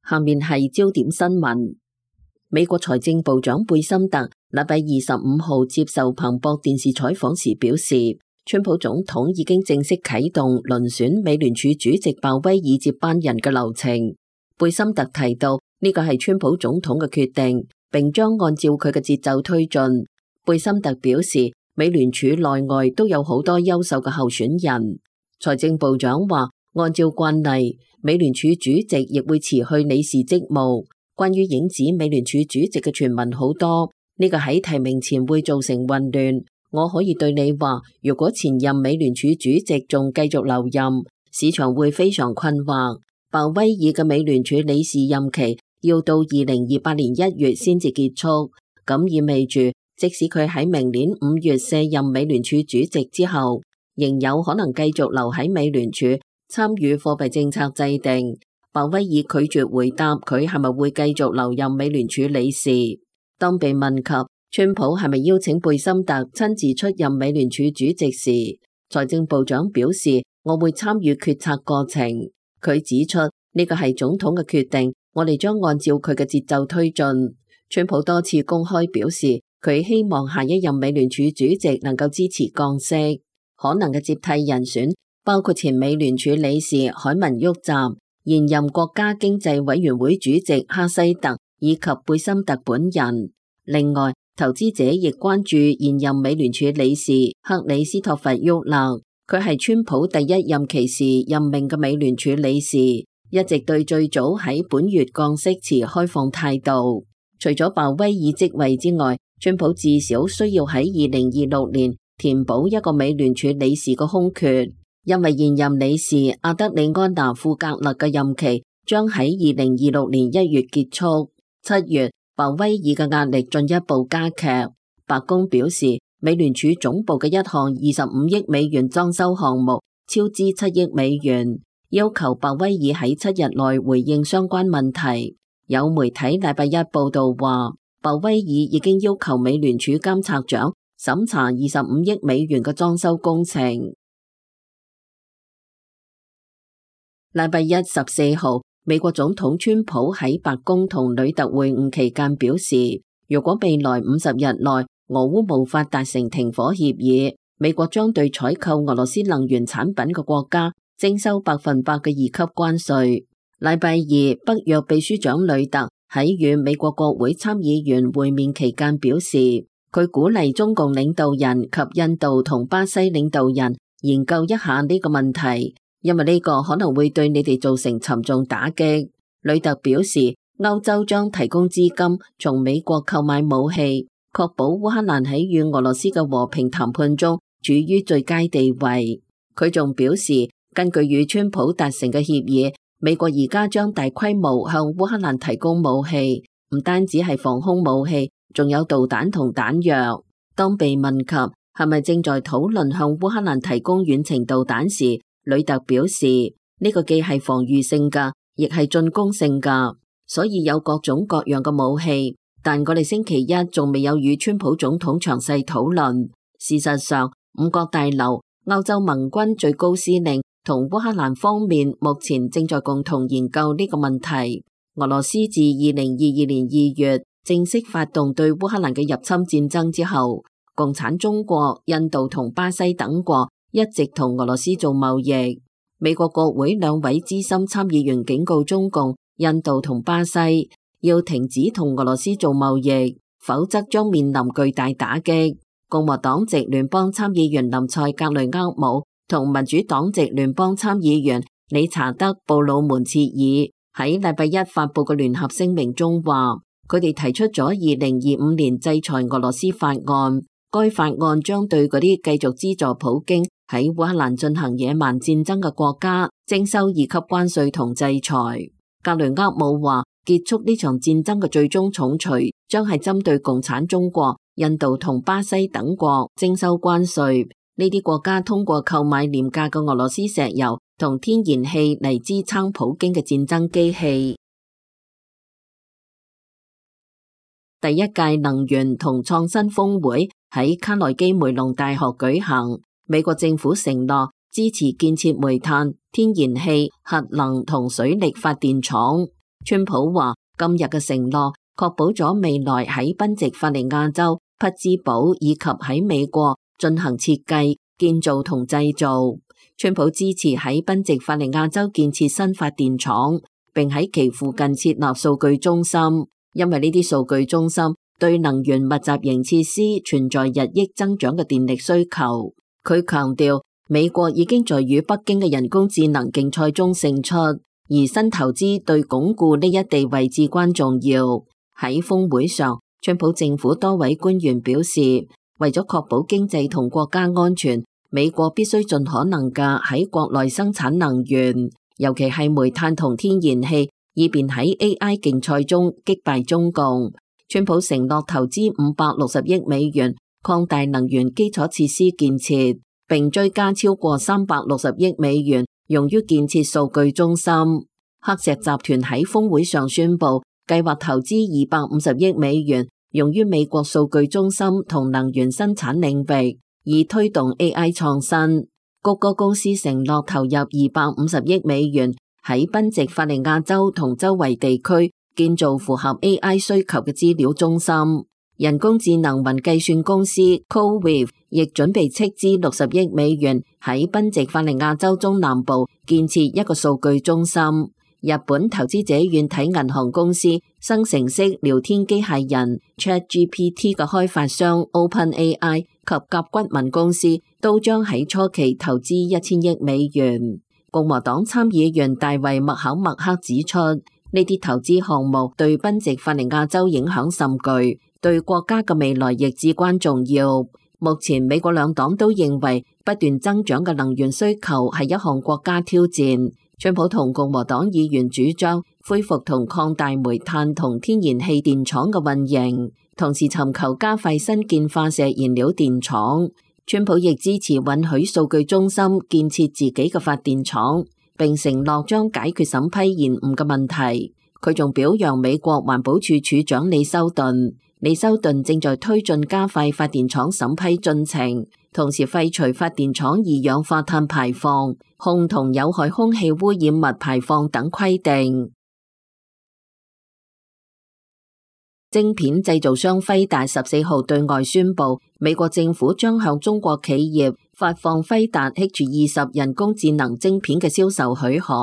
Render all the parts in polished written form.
下面係焦點新聞。美國財政部長貝森特禮拜25號接受彭博電視採訪時表示，川普總統已經正式啟動遴選美聯儲主席鮑威爾接班人嘅流程。貝森特提到呢個係川普總統嘅決定，並將按照佢嘅節奏推進。貝森特表示，美聯儲內外都有好多優秀嘅候選人。財政部長話，按照慣例，美聯儲主席亦會辭去理事職務。關於影子美聯儲主席嘅傳聞好多，呢個喺提名前會造成混亂。我可以對你話，如果前任美聯儲主席仲繼續留任，市場會非常困惑。鮑威爾嘅美聯儲理事任期要到2028年1月先至結束，咁意味住即使佢喺明年5月卸任美聯儲主席之後，仍有可能繼續留喺美聯儲參與貨幣政策制定。鮑威爾拒絕回答佢係咪會繼續留任美聯儲理事。當被問及川普係咪邀請貝森特親自出任美聯儲主席時，財政部長表示，我會參與決策過程。佢指出呢個係總統嘅決定，我哋將按照佢嘅節奏推進。川普多次公開表示，佢希望下一任美聯儲主席能夠支持降息。可能嘅接替人選包括前美聯儲理事凱文沃澤、現任國家經濟委員會主席哈西特以及貝森特本人。另外，投資者亦關注現任美聯儲理事克里斯托弗沃勒，佢係川普第一任期時任命嘅美聯儲理事，一直對最早喺本月降息持開放態度。除咗鮑威爾職位之外，川普至少需要喺2026年填補一個美聯儲理事嘅空缺，因為現任理事阿德里安娜庫格勒嘅任期將喺2026年1月結束。7月，鮑威爾嘅壓力進一步加劇。白宮表示，美聯儲總部嘅一項25億美元裝修項目超支7億美元，要求鮑威爾喺7日內回應相關問題。有媒體禮拜一報道話，鮑威爾已經要求美聯儲監察長審查25億美元嘅裝修工程。禮拜一14號，美國總統川普喺白宮同呂特會晤期間表示，如果未來50日內俄烏無法達成停火協議，美國將對採購俄羅斯能源產品嘅國家徵收100%嘅2級關稅。禮拜二，北約秘書長呂特喺與美國國會參議員會面期間表示，佢鼓勵中共領導人及印度同巴西領導人研究一下呢個問題，因為呢個可能會對你哋造成沉重打擊。呂特表示，歐洲將提供資金從美國購買武器，確保烏克蘭喺與俄羅斯嘅和平談判中處於最佳地位。佢仲表示，根據與川普達成嘅協議，美國而家將大規模向烏克蘭提供武器，唔單止係防空武器，仲有導彈同彈藥。當被問及係咪正在討論向烏克蘭提供遠程導彈時，呂特表示，呢個既係防禦性㗎，亦係進攻性㗎，所以有各種各樣嘅武器。但我哋星期一仲未有與川普總統詳細討論。事實上，五角大樓、歐洲盟軍最高司令同烏克蘭方面目前正在共同研究呢個問題。俄羅斯自2022年2月正式發動對烏克蘭嘅入侵戰爭之後，共產中國、印度同巴西等國一直同俄羅斯做貿易。美國國會兩位資深參議員警告中共、印度同巴西要停止同俄羅斯做貿易，否則將面臨巨大打擊。共和黨籍聯邦參議員林賽格雷厄姆同民主黨籍聯邦參議員理查德布魯門切爾喺禮拜一發佈嘅聯合聲明中話，佢哋提出咗2025年制裁俄羅斯法案，該法案將對嗰啲繼續資助普京喺烏克蘭進行野蠻戰爭嘅國家徵收2級關稅同制裁。格雷厄姆話，結束呢場戰爭嘅最終重錘將係針對共產中國、印度同巴西等國徵收關稅。呢啲國家通過購買廉價嘅俄羅斯石油同天然氣嚟支撐普京嘅戰爭機器。第一屆能源同創新峰會喺卡內基梅隆大學舉行，美國政府承諾支持建設煤炭、天然氣、核能同水力發電廠。川普話今日嘅承諾確保咗未來喺賓夕法尼亞州匹茲堡以及喺美國進行設計、建造同製造。川普支持喺賓夕法尼亞州建設新發電廠，並喺其附近設立數據中心，因為呢啲數據中心對能源密集型設施存在日益增長嘅電力需求。佢強調，美國已經在與北京嘅人工智能競賽中勝出，而新投資對鞏固呢一地位至關重要。喺峰會上，川普政府多位官員表示，為咗確保經濟同國家安全，美國必須盡可能嘅喺國內生產能源，尤其係煤炭同天然氣，以便喺 AI 競賽中擊敗中共。川普承諾投資560億美元擴大能源基礎設施建設，並追加超過360億美元用於建設數據中心。黑石集團喺峰會上宣布，計劃投資250億美元用於美國數據中心同能源生產領域，以推動 AI 創新。谷歌公司承諾投入250億美元喺賓夕法尼亞州同周圍地區建造符合 AI 需求嘅資料中心。人工智能雲計算公司 CoreWeave 亦準備斥資60億美元喺賓夕法尼亞州中南部建設一個數據中心。日本投資者軟體銀行公司生成式聊天機械人 ChatGPT 嘅開發商 OpenAI 及甲骨文公司都將喺初期投資1000億美元。共和黨參議員大衛麥考默克指出，呢啲投資項目對賓夕法尼亞州影響甚巨，對國家嘅未來亦至關重要。目前美國兩黨都認為不斷增長嘅能源需求係一項國家挑戰。川普同共和黨議員主張恢復同擴大煤炭同天然氣電廠嘅運營，同時尋求加快新建化石燃料電廠。川普亦支持允許數據中心建設自己嘅發電廠，並承諾將解決審批延誤嘅問題。佢仲表揚美國環保署署長李修頓。李修頓正在推進加快發電廠審批進程，同時廢除發電廠二氧化碳排放、汞同有害空氣污染物排放等規定。晶片製造商輝達14號對外宣布，美國政府將向中國企業發放輝達 H20人工智能晶片嘅銷售許可。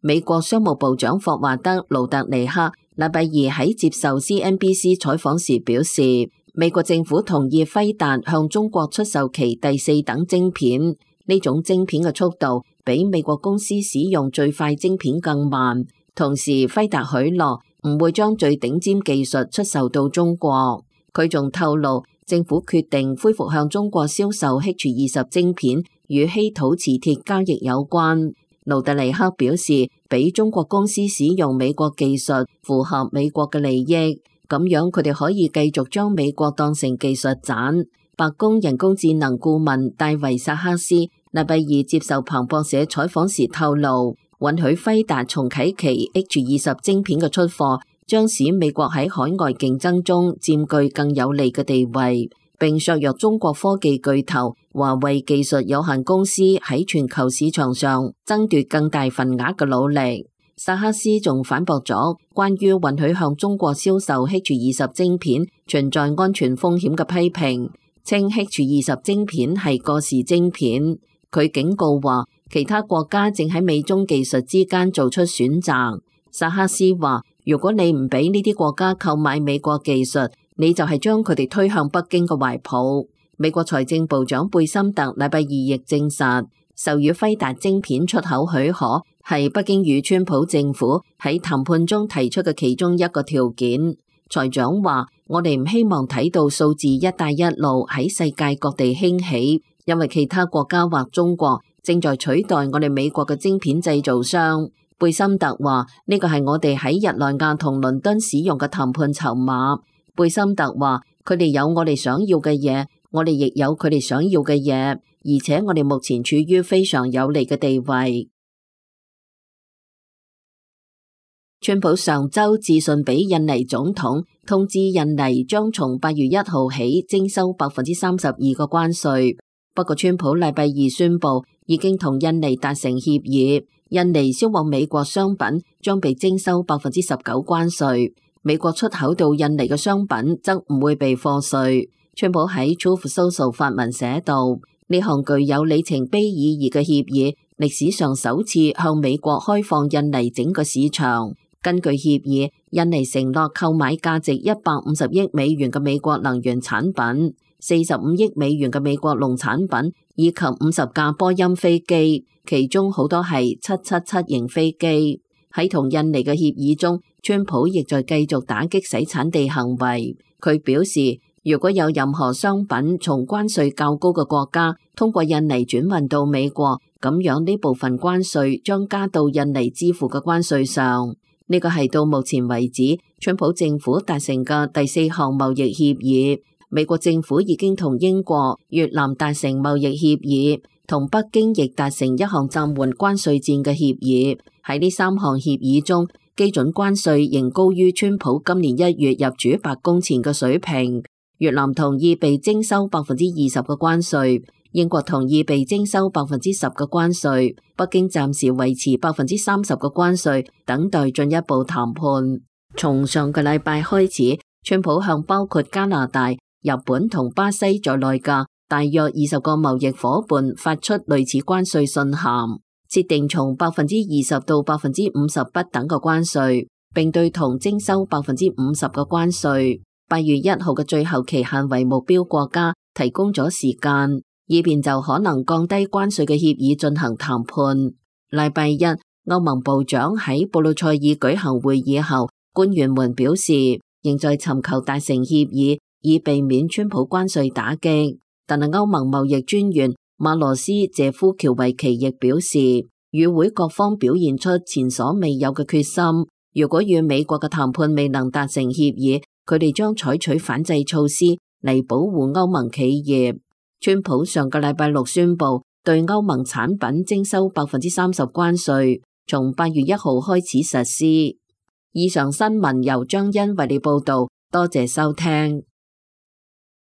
美國商務部長霍華德·盧特尼克禮拜二喺接受 CNBC 採訪時表示，美國政府同意輝達向中國出售其第4等晶片，呢種晶片嘅速度比美國公司使用最快晶片更慢。同時，輝達許諾唔會將最頂尖技術出售到中國。佢仲透露，政府決定恢復向中國銷售 H20晶片，與稀土磁鐵交易有關。盧特尼克表示，俾中國公司使用美國技術符合美國嘅利益，咁樣佢哋可以繼續將美國當成技術棧。白宮人工智能顧問戴維薩克斯禮拜二接受彭博社採訪時透露，允許輝達重啟其 H20晶片嘅出貨，將使美國喺海外競爭中佔據更有利嘅地位，並削弱中國科技巨頭華為技術有限公司喺全球市場上爭奪更大份額嘅努力。薩克斯仲反駁咗關於允許向中國銷售 H20晶片存在安全風險嘅批評，稱 H20晶片係過時晶片。佢警告話，其他國家正喺美中技術之間做出選擇。薩克斯話，如果你唔俾呢啲國家購買美國技術，你就係將佢哋推向北京嘅懷抱。美國財政部長貝森特禮拜二亦證實，授予輝達晶片出口許可係北京與川普政府喺談判中提出嘅其中一個條件。財長話，我哋唔希望睇到數字一帶一路喺世界各地興起，因為其他國家或中國正在取代我哋美國嘅晶片製造商。貝森特話，呢個係我哋喺日內瓦同倫敦使用嘅談判籌碼。貝森特話，佢哋有我哋想要嘅嘢，我哋亦有佢哋想要嘅嘢，而且我哋目前處於非常有利嘅地位。川普上週致信俾印尼總統，通知印尼將從8月1號起徵收32%嘅關稅。不過川普禮拜二宣布已經同印尼達成協議，印尼銷往美國商品將被徵收19%關稅，美國出口到印尼嘅商品則唔會被課稅。川普喺 Truth Social 發文寫道，呢項具有里程碑意義嘅協議，歷史上首次向美國開放印尼整個市場。根據協議，印尼承諾購買價值150億美元嘅美國能源產品、45億美元嘅美國農產品以及50架波音飛機，其中好多係777型飛機。喺同印尼嘅協議中，川普亦在繼續打擊洗產地行為。佢表示，如果有任何商品從關稅較高嘅國家通過印尼轉運到美國，咁樣呢部分關稅將加到印尼支付嘅關稅上。呢個係到目前為止川普政府達成嘅第4項貿易協議。美國政府已經同英國、越南達成貿易協議，同北京亦達成一項暫緩關稅戰嘅協議。喺呢3項協議中，基準關稅仍高於川普今年1月入主白宮前嘅水平。越南同意被徵收20%嘅關稅，英國同意被徵收10%嘅關稅，北京暫時維持30%嘅關稅，等待進一步談判。從上個禮拜開始，川普向包括加拿大、日本同巴西在內嘅大約20個貿易夥伴發出類似關稅信函，設定從20%到50%不等嘅關稅，並對銅徵收50%嘅關稅。8月1號嘅最後期限為目標國家提供咗時間，以便就可能降低關稅嘅協議進行談判。禮拜一，歐盟部長喺布魯塞爾舉行會議後，官員們表示仍在尋求達成協議，以避免川普關稅打擊。但係歐盟貿易專員馬羅斯謝夫喬維奇亦表示，與會各方表現出前所未有嘅決心。如果與美國嘅談判未能達成協議，佢哋將採取反制措施嚟保護歐盟企業。川普上個禮拜6宣布對歐盟產品徵收30%關稅，從8月1號開始實施。以上新聞由張欣為你報道，多謝收聽。